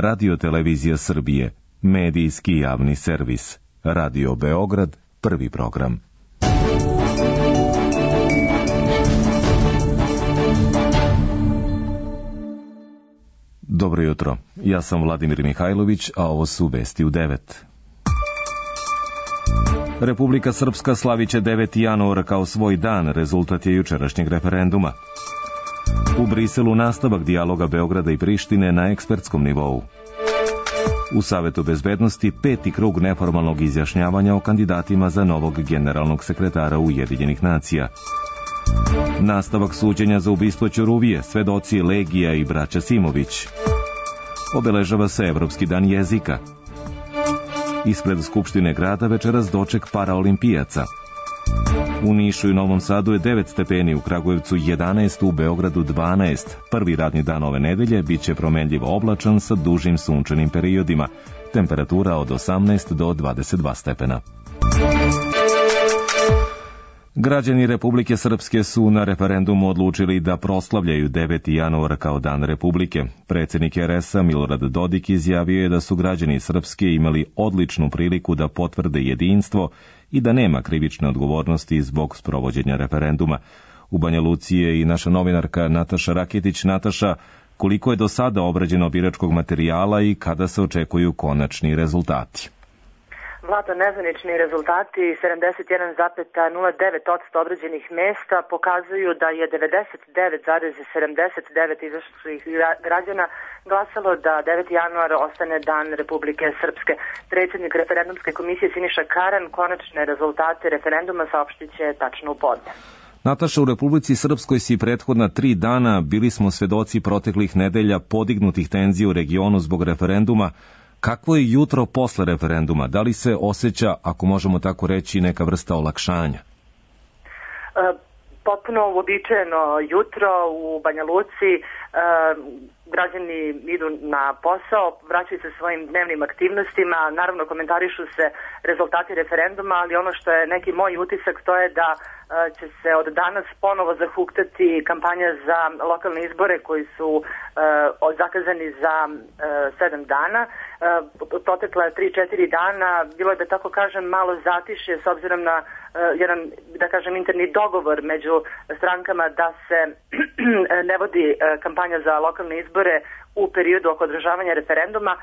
Radio-televizija Srbije, medijski javni servis. Radio Beograd, prvi program. Dobro jutro, ja sam Vladimir Mihajlović, a ovo su vesti u 9. Republika Srpska slaviće 9. januar kao svoj dan, rezultat je jučerašnjeg referenduma. U Briselu nastavak dijaloga Beograda i Prištine na ekspertskom nivou. U Savetu bezbednosti 5. krug neformalnog izjašnjavanja o kandidatima za novog generalnog sekretara Ujedinjenih nacija. Nastavak suđenja za ubistvo Ćuruvije, svedoci Legija i braća Simović. Obeležava se Evropski dan jezika. Ispred Skupštine grada večeras doček paraolimpijaca. U Nišu i Novom Sadu je 9 stepeni, u Kragujevcu 11, u Beogradu 12. Prvi radni dan ove nedelje biće promenljivo oblačan sa dužim sunčanim periodima. Temperatura od 18 do 22 stepena. Građani Republike Srpske su na referendumu odlučili da proslavljaju 9. januar kao dan Republike. Predsjednik RS-a Milorad Dodik izjavio je da su građani Srpske imali odličnu priliku da potvrde jedinstvo i da nema krivične odgovornosti zbog sprovođenja referenduma. U Banja Luci je i naša novinarka Nataša Raketić. Nataša, koliko je do sada obrađeno biračkog materijala i kada se očekuju konačni rezultati? Vlada, nezvanični rezultati 71,09% obrađenih mesta pokazuju da je 99,79 izašlih građana glasalo da 9. januar ostane dan Republike Srpske. Predsjednik referendumske komisije Siniša Karan konačne rezultate referenduma saopštit će tačno u podne. Nataša, u Republici Srpskoj si prethodna 3 dana bili smo svedoci proteklih nedelja podignutih tenzija u regionu zbog referenduma. Kakvo je jutro posle referenduma? Da li se osjeća, ako možemo tako reći, neka vrsta olakšanja? Potpuno uobičajeno jutro u Banja Luci. Građani idu na posao, vraćaju se svojim dnevnim aktivnostima, naravno komentarišu se rezultati referenduma, ali ono što je neki moj utisak to je da će se od danas ponovo zahuktati kampanja za lokalne izbore koji su zakazani za 7 dana. Protekla 3-4 dana bilo je, da tako kažem, malo zatišje s obzirom na jedan, da kažem, interni dogovor među strankama da se ne vodi kampanja za lokalne izbore u periodu oko održavanja referenduma.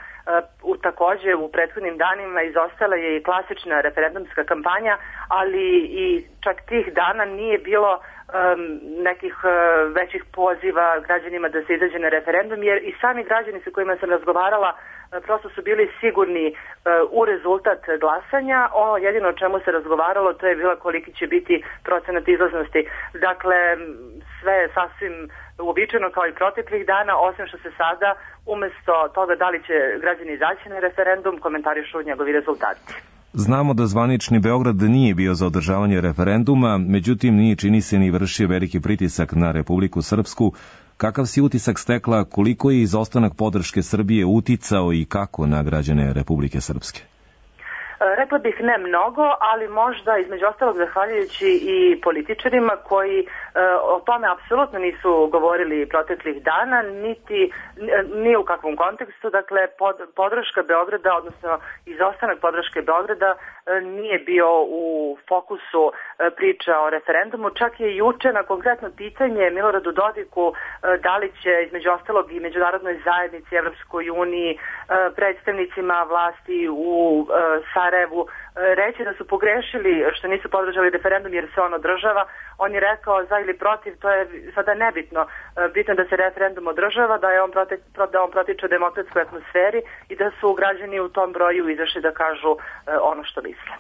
Također u prethodnim danima izostala je i klasična referendumska kampanja, ali i čak tih dana nije bilo nekih većih poziva građanima da se izađe na referendum, jer i sami građani sa kojima sam razgovarala prosto su bili sigurni u rezultat glasanja. Ono jedino o čemu se razgovaralo to je bilo koliki će biti procenat izlaznosti. Dakle, sve je sasvim uobičajeno kao i proteklih dana, osim što se sada umjesto toga da li će građani izaći na referendum komentarišu njegovi rezultati. Znamo da zvanični Beograd nije bio za održavanje referenduma, međutim nije, čini se, ni vršio veliki pritisak na Republiku Srpsku. Kakav si utisak stekla, koliko je izostanak podrške Srbije uticao i kako na građane Republike Srpske? Rekla bih ne mnogo, ali možda između ostalog zahvaljujući i političarima koji o tome apsolutno nisu govorili proteklih dana, ni u kakvom kontekstu. Dakle, podrška Beograda, odnosno izostanak podrške Beograda nije bio u fokusu priča o referendumu. Čak je juče na konkretno pitanje Miloradu Dodiku da li će između ostalog i međunarodnoj zajednici, Evropskoj uniji, predstavnicima vlasti u Sarajevu reći da su pogrešili što nisu podržali referendum jer se on održava. On je rekao za ili protiv, to je sada nebitno. Bitno da se referendum održava, da on protiče demokratskoj atmosferi i da su građani u tom broju izašli da kažu ono što misle.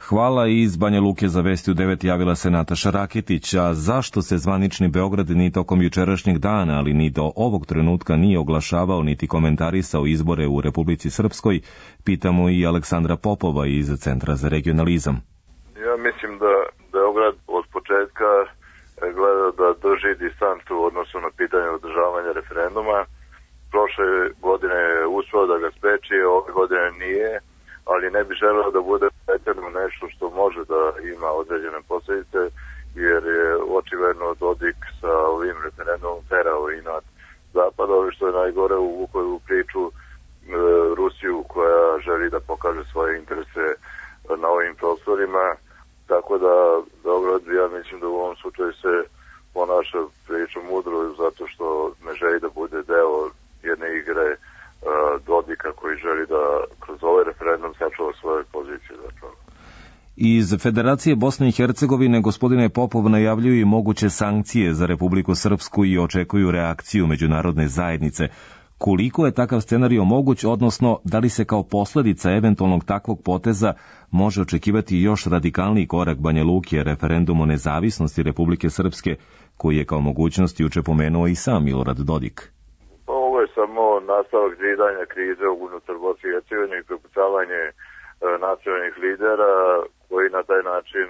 Hvala. Iz Banja Luke za vesti u 9 javila se Nataša Raketić. A zašto se zvanični Beograd ni tokom jučerašnjeg dana, ali ni do ovog trenutka nije oglašavao niti komentarisao izbore u Republici Srpskoj, pitamo i Aleksandra Popova iz Centra za regionalizam. Ja mislim da Beograd od početka gleda da drži distancu u odnosu na pitanje održavanja referenduma. Prošle godine je uspeo da ga spreči, ove godine nije, ali ne bi želeo da bude pretjerano nešto što može da ima određene posljedice, jer je očigledno Dodik sa ovim referendumom terao i nad Zapada, što je najgore uvukao u priču želi da pokaže svoje interese na ovim prostorima, tako da Beograd, ja mislim da u ovom slučaju se ponaša prilično mudro zato što ne želi da bude deo jedne igre Dodika koji želi da kroz ovaj referendum sačuva svoje pozicije zapravo. Iz Federacije Bosne i Hercegovine, gospodine Popov, najavljuju i moguće sankcije za Republiku Srpsku i očekuju reakciju međunarodne zajednice. Koliko je takav scenario moguć, odnosno da li se kao posljedica eventualnog takvog poteza može očekivati još radikalniji korak Banja Luke, referendum o nezavisnosti Republike Srpske, koji je kao mogućnost juče pomenuo i sam Milorad Dodik? Ovo je samo nastavak zidanja krize unutar Bosne i Hercegovine i prepucavanje nacionalnih lidera koji na taj način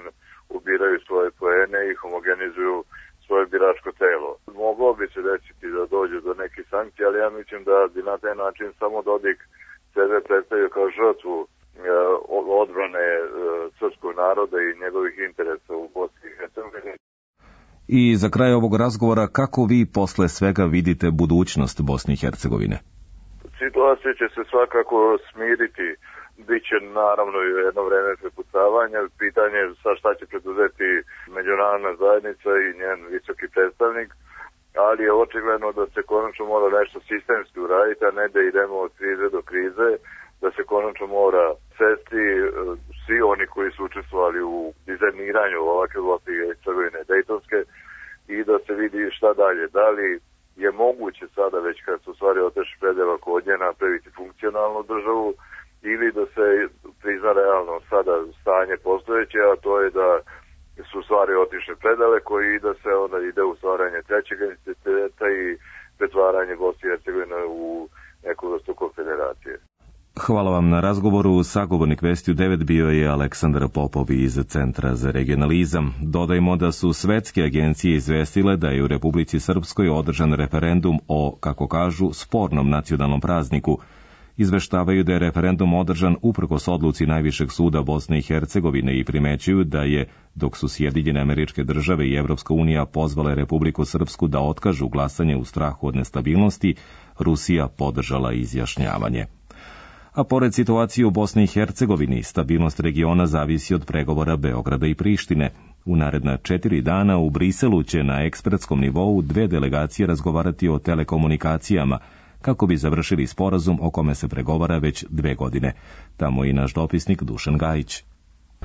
ubiraju svoje poene i homogenizuju svoje biračko telo. Moglo bi se desiti da dođe do nekih sankcija, ali ja mislim da bi na taj način samo Dodik sebe predstavio kao žrtvu odbrane srpskog naroda i njegovih interesa u Bosni i Hercegovini. I za kraj ovog razgovora, kako vi posle svega vidite budućnost Bosne i Hercegovine? Situacija će se svakako smiriti. Biće naravno i jedno vreme prepucavanja. Pitanje je sa šta će preduzeti međunarodna zajednica i njen visoki predstavnik, ali je očigledno da se konačno mora nešto sistemski uraditi, a ne da idemo od krize do krize, da se konačno mora sesti svi oni koji su učestvovali u dizajniranju ovakve Bosne i Hercegovine dejtonske i da se vidi šta dalje. Da li je moguće sada, već kad su stvari otešli predela kod nje, napraviti funkcionalnu državu, ili da se prizna realno sada stanje postojeće, a to je da su stvari otišle predale koji da se onda ide u stvaranje trećeg entiteta i pretvaranje Bosne i Hercegovine u neku vrstu konfederacije. Hvala vam na razgovoru. Sagovornik Vesti u 9 bio je Aleksandar Popov iz Centra za regionalizam. Dodajmo da su svetske agencije izvestile da je u Republici Srpskoj održan referendum o, kako kažu, spornom nacionalnom prazniku. Izveštavaju da je referendum održan uprkos odluci Najvišeg suda Bosne i Hercegovine i primećuju da je, dok su Sjedinjene Američke Države i Evropska unija pozvale Republiku Srpsku da otkažu glasanje u strahu od nestabilnosti, Rusija podržala izjašnjavanje. A pored situacije u Bosni i Hercegovini, stabilnost regiona zavisi od pregovora Beograda i Prištine. U naredna 4 dana u Briselu će na ekspertskom nivou 2 delegacije razgovarati o telekomunikacijama, kako bi završili sporazum o kome se pregovara već 2 godine. Tamo i naš dopisnik Dušan Gajić.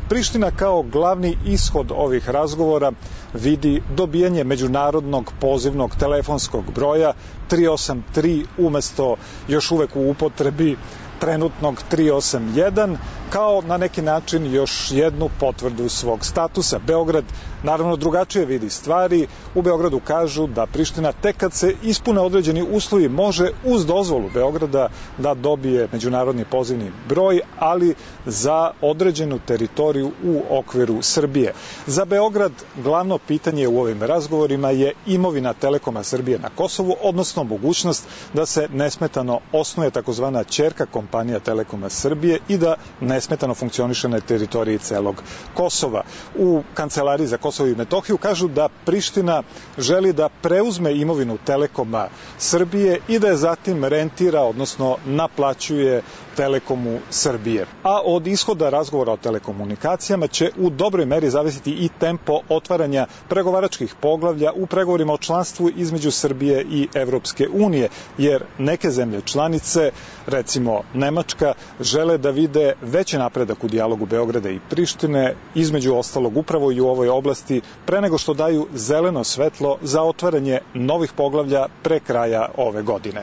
Priština kao glavni ishod ovih razgovora vidi dobijanje međunarodnog pozivnog telefonskog broja 383 umjesto još uvek u upotrebi trenutnog 381, kao na neki način još jednu potvrdu svog statusa. Beograd naravno drugačije vidi stvari. U Beogradu kažu da Priština tek kad se ispune određeni uslovi može uz dozvolu Beograda da dobije međunarodni pozivni broj, ali za određenu teritoriju u okviru Srbije. Za Beograd glavno pitanje u ovim razgovorima je imovina Telekoma Srbije na Kosovu, odnosno mogućnost da se nesmetano osnuje takozvana ćerka kompanija Telekoma Srbije i da nesmetano funkcioniše na teritoriji celog Kosova. U Kancelariji za Kosovo i Metohiju kažu da Priština želi da preuzme imovinu Telekoma Srbije i da je zatim rentira, odnosno naplaćuje Telekomu Srbije. A od ishoda razgovora o telekomunikacijama će u dobroj meri zavisiti i tempo otvaranja pregovaračkih poglavlja u pregovorima o članstvu između Srbije i Evropske unije, jer neke zemlje članice, recimo Nemačka, žele da vide veći napredak u dijalogu Beograda i Prištine, između ostalog upravo i u ovoj oblasti, pre nego što daju zeleno svetlo za otvaranje novih poglavlja pre kraja ove godine.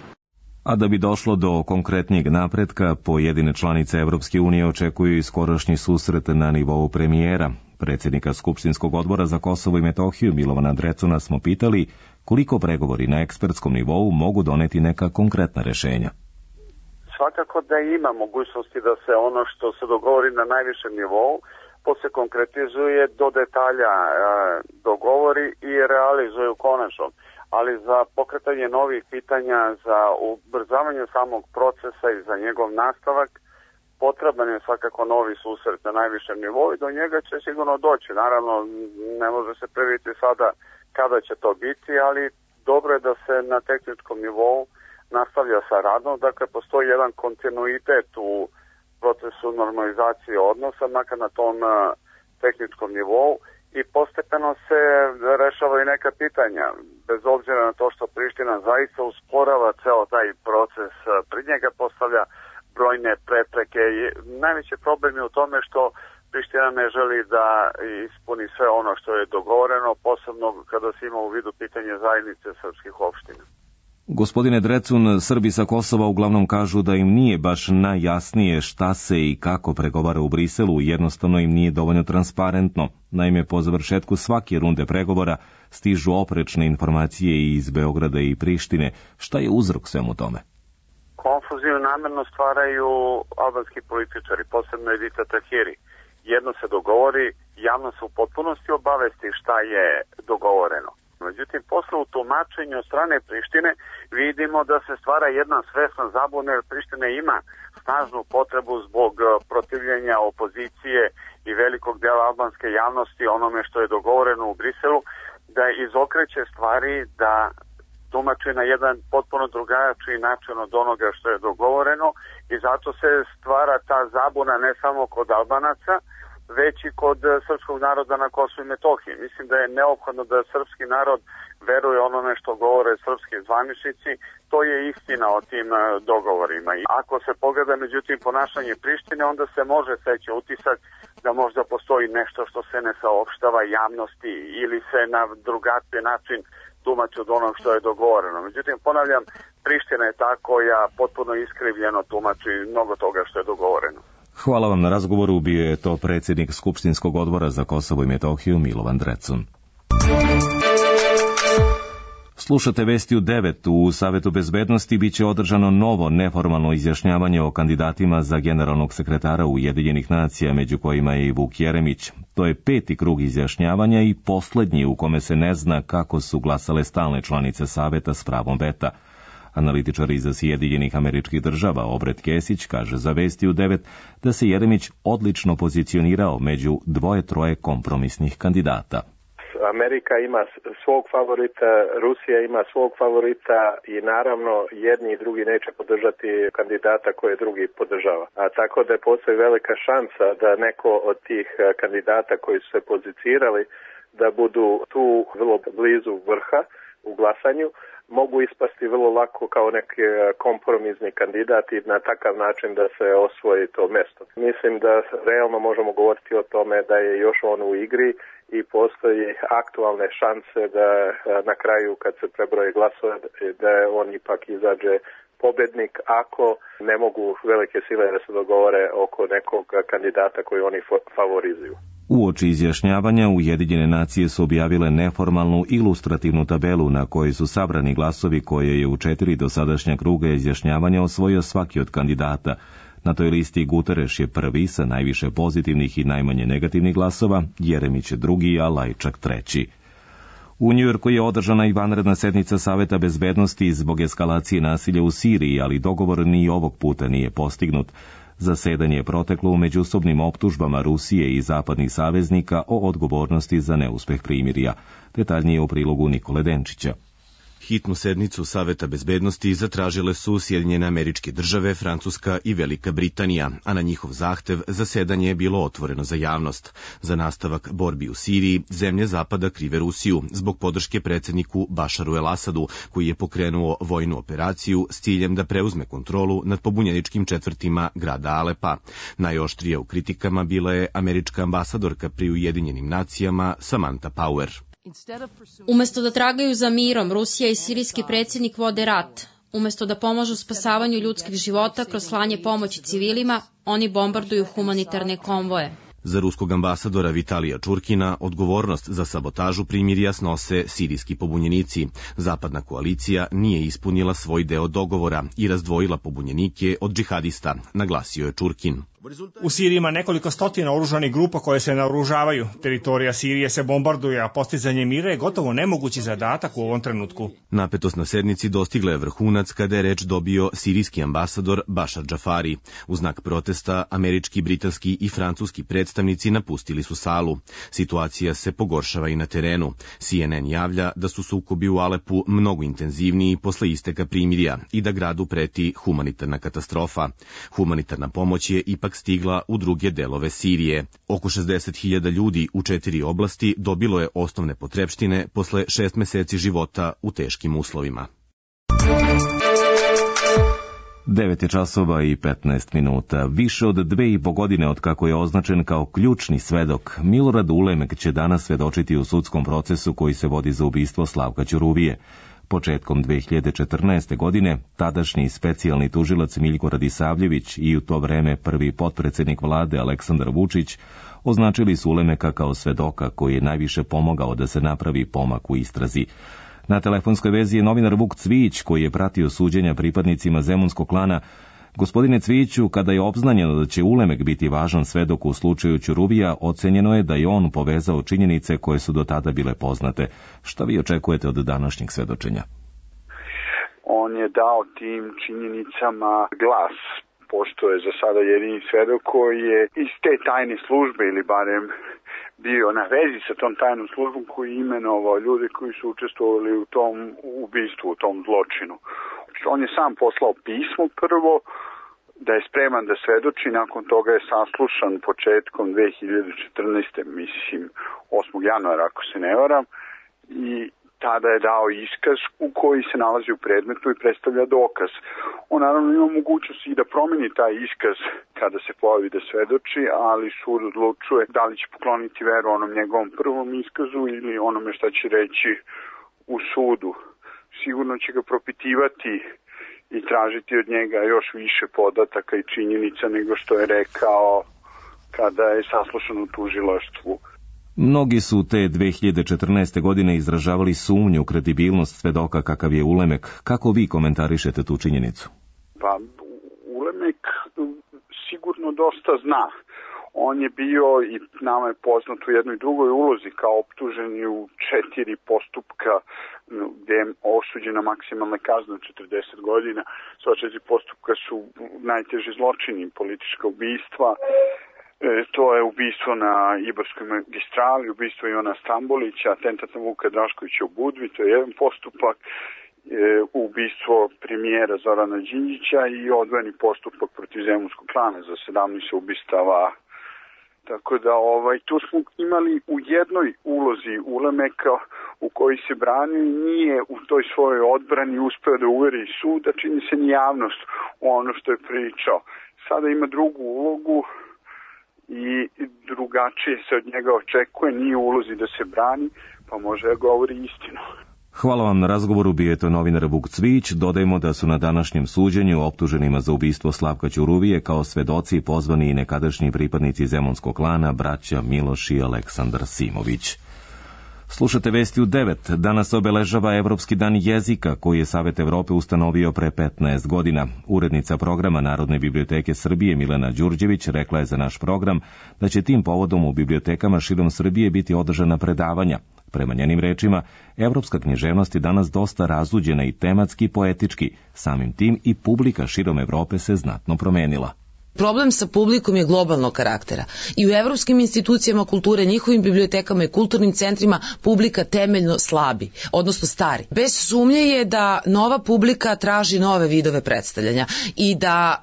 A da bi došlo do konkretnijeg napretka, pojedine članice Evropske unije očekuju i skorošnji susret na nivou premijera. Predsjednika Skupštinskog odbora za Kosovo i Metohiju Milovana Drecuna smo pitali koliko pregovori na ekspertskom nivou mogu doneti neka konkretna rešenja. Svakako da ima mogućnosti da se ono što se dogovori na najvišem nivou posle konkretizuje do detalja, dogovori i realizuje u konačnom. Ali za pokretanje novih pitanja, za ubrzavanje samog procesa i za njegov nastavak, potreban je svakako novi susret na najvišem nivou i do njega će sigurno doći. Naravno, ne može se predvidjeti sada kada će to biti, ali dobro je da se na tehničkom nivou nastavlja sa radom. Dakle, postoji jedan kontinuitet u procesu normalizacije odnosa, makar na tom tehničkom nivou, i postepeno se rešavaju neka pitanja. Bez obzira na to što Priština zaista usporava ceo taj proces, pred njega postavlja brojne prepreke. Najveći problem je u tome što Priština ne želi da ispuni sve ono što je dogovoreno, posebno kada se ima u vidu pitanje zajednice srpskih opština. Gospodine Drecun, Srbi sa Kosova uglavnom kažu da im nije baš najjasnije šta se i kako pregovara u Briselu, jednostavno im nije dovoljno transparentno. Naime, po završetku svake runde pregovora stižu oprečne informacije iz Beograda i Prištine. Šta je uzrok svemu tome? Konfuziju namerno stvaraju albanski političari, posebno Edita Tahiri. Jedno se dogovori, javno se u potpunosti obavesti šta je dogovoreno. Međutim, posle u tumačenju od strane Prištine vidimo da se stvara jedna svesna zabuna, jer Priština ima snažnu potrebu zbog protivljenja opozicije i velikog dela albanske javnosti onome što je dogovoreno u Briselu, da izokreće stvari, da tumači na jedan potpuno drugačiji način od onoga što je dogovoreno, i zato se stvara ta zabuna ne samo kod Albanaca, već i kod srpskog naroda na Kosovu i Metohiji. Mislim da je neophodno da srpski narod veruje onome što govore srpski zvaničnici. To je istina o tim dogovorima. I ako se pogleda međutim ponašanje Prištine, onda se može steći utisak da možda postoji nešto što se ne saopštava javnosti ili se na drugačiji način tumači od onog što je dogovoreno. Međutim, ponavljam, Priština je ta koja potpuno iskrivljeno tumači mnogo toga što je dogovoreno. Hvala vam na razgovoru, bio je to predsjednik Skupštinskog odbora za Kosovo i Metohiju Milovan Drecun. Slušate vesti u 9. U Savetu bezbednosti biće održano novo neformalno izjašnjavanje o kandidatima za generalnog sekretara Ujedinjenih nacija, među kojima je i Vuk Jeremić. To je 5. krug izjašnjavanja i poslednji u kome se ne zna kako su glasale stalne članice Saveta s pravom veta. Analitičar iz Sjedinjenih Američkih Država Obred Kesić kaže za vesti u 9 da se Jeremić odlično pozicionirao među 2-3 kompromisnih kandidata. Amerika ima svog favorita, Rusija ima svog favorita i naravno jedni i drugi neće podržati kandidata koje drugi podržava. A tako da postoji velika šansa da neko od tih kandidata koji su se pozicirali da budu tu vrlo blizu vrha u glasanju, mogu ispasti vrlo lako kao neki kompromisni kandidat i na takav način da se osvoji to mesto. Mislim da realno možemo govoriti o tome da je još on u igri i postoji aktualne šanse da na kraju kad se prebroje glasove da on ipak izađe pobednik ako ne mogu velike sile da se dogovore oko nekog kandidata koji oni favorizuju. Uoči izjašnjavanja Ujedinjene nacije su objavile neformalnu ilustrativnu tabelu na kojoj su sabrani glasovi koje je u 4 dosadašnja kruga izjašnjavanja osvojio svaki od kandidata. Na toj listi Guterres je prvi sa najviše pozitivnih i najmanje negativnih glasova, Jeremić je drugi, a Lajčak treći. U Njujorku je održana i vanredna sednica Saveta bezbednosti zbog eskalacije nasilja u Siriji, ali dogovor ni ovog puta nije postignut. Zasedanje je proteklo u međusobnim optužbama Rusije i zapadnih saveznika o odgovornosti za neuspeh primirja. Detaljnije u prilogu Nikole Denčića. Hitnu sednicu Saveta bezbednosti zatražile su Sjedinjene Američke Države, Francuska i Velika Britanija, a na njihov zahtev zasedanje je bilo otvoreno za javnost. Za nastavak borbi u Siriji, zemlje Zapada krive Rusiju zbog podrške predsjedniku Bašaru el-Asadu, koji je pokrenuo vojnu operaciju s ciljem da preuzme kontrolu nad pobunjeničkim četvrtima grada Alepa. Najoštrija u kritikama bila je američka ambasadorka pri Ujedinjenim nacijama Samantha Power. Umesto da tragaju za mirom, Rusija i sirijski predsjednik vode rat. Umesto da pomažu spasavanju ljudskih života kroz slanje pomoći civilima, oni bombarduju humanitarne konvoje. Za ruskog ambasadora Vitalija Čurkina odgovornost za sabotažu primirja snose sirijski pobunjenici. Zapadna koalicija nije ispunila svoj deo dogovora i razdvojila pobunjenike od džihadista, naglasio je Čurkin. U Siriji ima nekoliko stotina oružanih grupa koje se naoružavaju. Teritorija Sirije se bombarduje, a postizanje mira je gotovo nemogući zadatak u ovom trenutku. Napetost na sednici dostigla je vrhunac kada je reč dobio sirijski ambasador Bašar Džafari. U znak protesta, američki, britanski i francuski predstavnici napustili su salu. Situacija se pogoršava i na terenu. CNN javlja da su sukobi u Alepu mnogo intenzivniji posle isteka primirja i da gradu preti humanitarna katastrofa. Humanitarna pomoć je ipak stigla u druge delove Sirije. Oko 60.000 ljudi u 4 oblasti dobilo je osnovne potrepštine posle 6 meseci života u teškim uslovima. 9 časova i 15 minuta. Više od 2,5 godine od kako je označen kao ključni svedok, Milorad Ulemek će danas svedočiti u sudskom procesu koji se vodi za ubistvo Slavka Ćuruvije. Početkom 2014. godine tadašnji specijalni tužilac Miljko Radisavljević i u to vreme prvi potpredsednik vlade Aleksandar Vučić označili su Ulemeka kao svedoka koji je najviše pomogao da se napravi pomak u istrazi. Na telefonskoj vezi je novinar Vuk Cvijić koji je pratio suđenja pripadnicima Zemunskog klana. Gospodine Cvijiću, kada je obznanjeno da će Ulemek biti važan svedok u slučaju Ćuruvija, ocenjeno je da je on povezao činjenice koje su do tada bile poznate. Šta vi očekujete od današnjeg svedočenja? On je dao tim činjenicama glas, pošto je za sada jedini svedok koji je iz te tajne službe ili barem bio na vezi sa tom tajnom službom koji je imenovao ljude koji su učestvovali u tom ubistvu, u tom zločinu. On je sam poslao pismo prvo da je spreman da svedoči, nakon toga je saslušan početkom 2014. mislim 8. januara ako se ne varam i tada je dao iskaz u koji se nalazi u predmetu i predstavlja dokaz. On naravno ima mogućnost i da promeni taj iskaz kada se pojavi da svedoči, ali sud odlučuje da li će pokloniti veru onom njegovom prvom iskazu ili onome šta će reći u sudu. Sigurno će ga propitivati i tražiti od njega još više podataka i činjenica nego što je rekao kada je saslušan u tužilaštvu. Mnogi su te 2014. godine izražavali sumnju u kredibilnost svedoka kakav je Ulemek. Kako vi komentarišete tu činjenicu? Pa, Ulemek sigurno dosta zna. On je bio i nama je poznat u jednoj drugoj ulozi kao optuženi u 4 postupka gdje je osuđena maksimalna kazna 40 godina. Sva 4 postupka su najteži zločini, politička ubistva. To je ubistvo na Ibarskoj magistrali, ubistvo Ivana Stambolića, atentat na Vuka Draškovića u Budvi, to je jedan postupak, ubistvo premijera Zorana Đinđića i odvojeni postupak protiv Zemunskog klana za 17 ubistava. Tako da tu smo imali u jednoj ulozi Ulemeka u koji se branio i nije u toj svojoj odbrani uspeo da uveri sud, da čini se ni javnost u ono što je pričao. Sada ima drugu ulogu i drugačije se od njega očekuje, nije u ulozi da se brani, pa može da govori istinu. Hvala vam na razgovoru, bio je to novinar Vuk Cvijić. Dodajmo da su na današnjem suđenju optuženima za ubistvo Slavka Ćuruvije kao svedoci pozvani i nekadašnji pripadnici Zemunskog klana, braća Miloš i Aleksandar Simović. Slušate vesti u 9. Danas obeležava Evropski dan jezika koji je Savet Evrope ustanovio pre 15 godina. Urednica programa Narodne biblioteke Srbije Milena Đurđević rekla je za naš program da će tim povodom u bibliotekama širom Srbije biti održana predavanja. Prema njenim rečima, evropska književnost je danas dosta razuđena i tematski i poetički. Samim tim i publika širom Evrope se znatno promenila. Problem sa publikom je globalnog karaktera. I u evropskim institucijama kulture, njihovim bibliotekama i kulturnim centrima publika temeljno slabi, odnosno stari. Bez sumnje je da nova publika traži nove vidove predstavljanja i da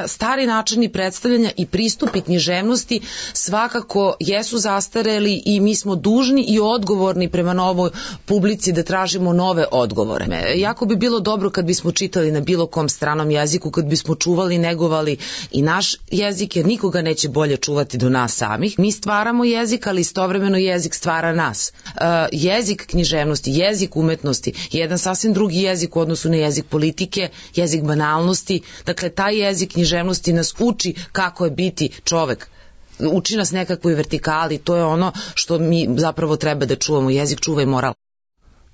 stari načini predstavljanja i pristupi književnosti svakako jesu zastareli i mi smo dužni i odgovorni prema novoj publici da tražimo nove odgovore. Jako bi bilo dobro kad bismo čitali na bilo kom stranom jeziku, kad bismo čuvali, negovali i naš jezik, jer nikoga neće bolje čuvati do nas samih. Mi stvaramo jezik, ali istovremeno jezik stvara nas. Jezik književnosti, jezik umetnosti je jedan sasvim drugi jezik u odnosu na jezik politike, jezik banalnosti. Dakle, taj jezik književnosti nas uči kako je biti čovek. Uči nas nekakvoj vertikali, to je ono što mi zapravo treba da čuvamo. Jezik čuva i moral.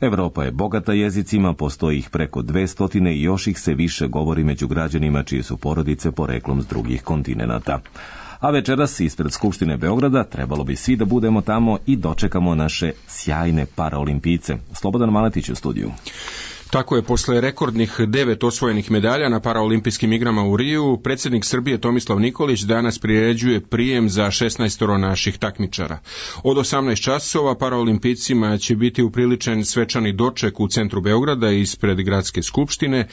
Evropa je bogata jezicima, postoji ih preko 200 i još ih se više govori među građanima čije su porodice poreklom s drugih kontinenata. A večeras ispred Skupštine Beograda trebalo bi svi da budemo tamo i dočekamo naše sjajne paraolimpijce. Slobodan Maletić u studiju. Tako je, posle rekordnih 9 osvojenih medalja na paraolimpijskim igrama u Riju, predsjednik Srbije Tomislav Nikolić danas priređuje prijem za 16 naših takmičara. Od 18 časova paraolimpijcima će biti upriličen svečani doček u centru Beograda ispred Gradske skupštine,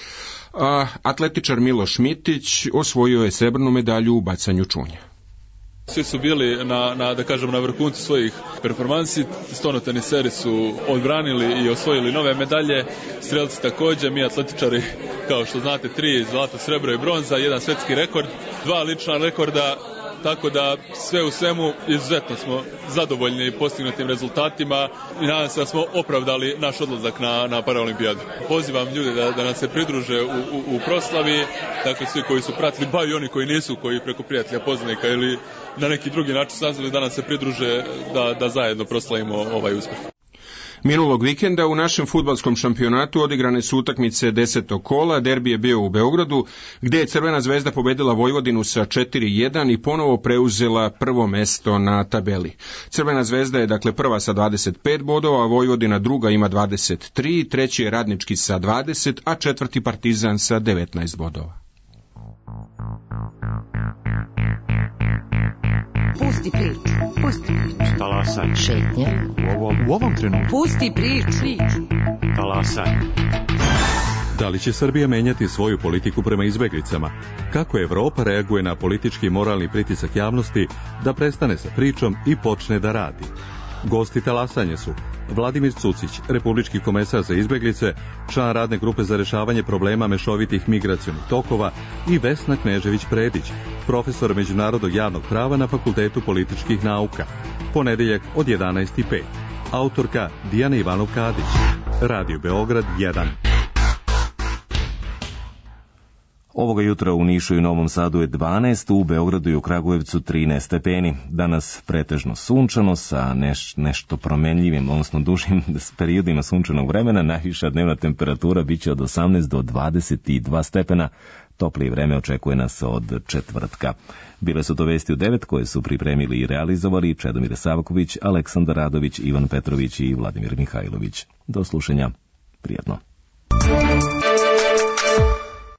a atletičar Miloš Mitić osvojio je srebrnu medalju u bacanju čunja. Svi su bili na vrhuncu svojih performansi, stonoteniseri su odbranili i osvojili nove medalje, strelci također, mi atletičari, kao što znate, 3 zlato, srebro i bronza, 1 svetski rekord, 2 lična rekorda, tako da sve u svemu izuzetno smo zadovoljni postignutim rezultatima i nadam se da smo opravdali naš odlazak na paraolimpijadu. Pozivam ljude da nas se pridruže u proslavi, dakle svi koji su pratili, ba i oni koji nisu, koji preko prijatelja, poznanika ili na neki drugi način saznali da nas se pridruže da zajedno proslavimo ovaj uspjeh. Minulog vikenda u našem fudbalskom šampionatu odigrane su utakmice 10. kola, derbi je bio u Beogradu, gdje je Crvena zvezda pobedila Vojvodinu sa 4-1 i ponovo preuzela prvo mesto na tabeli. Crvena zvezda je dakle prva sa 25 bodova, a Vojvodina druga ima 23, treći je Radnički sa 20, a četvrti Partizan sa 19 bodova. Pusti priču. Talasaj. Šetnje. U ovom trenutku. Pusti priču. Talasaj. Da li će Srbija menjati svoju politiku prema izbeglicama? Kako Evropa reaguje na politički i moralni pritisak javnosti da prestane sa pričom i počne da radi? Gosti talasanja su Vladimir Cucić, republički komesar za izbeglice, član radne grupe za rešavanje problema mešovitih migracionih tokova, i Vesna Knežević-Predić, profesor međunarodnog javnog prava na Fakultetu političkih nauka. Ponedeljak od 11:05. Autorka Dijana Ivanov-Kadić. Radio Beograd 1. Ovoga jutra u Nišu i Novom Sadu je 12, u Beogradu i u Kragujevcu 13 stepeni. Danas pretežno sunčano sa nešto promenljivim, odnosno dužim periodima sunčanog vremena. Najviša dnevna temperatura biće od 18 do 22 stepena. Toplije vreme očekuje nas od četvrtka. Bile su to vesti u 9 koje su pripremili i realizovali Čedomir Savaković, Aleksandar Radović, Ivan Petrović i Vladimir Mihajlović. Do slušanja. Prijatno.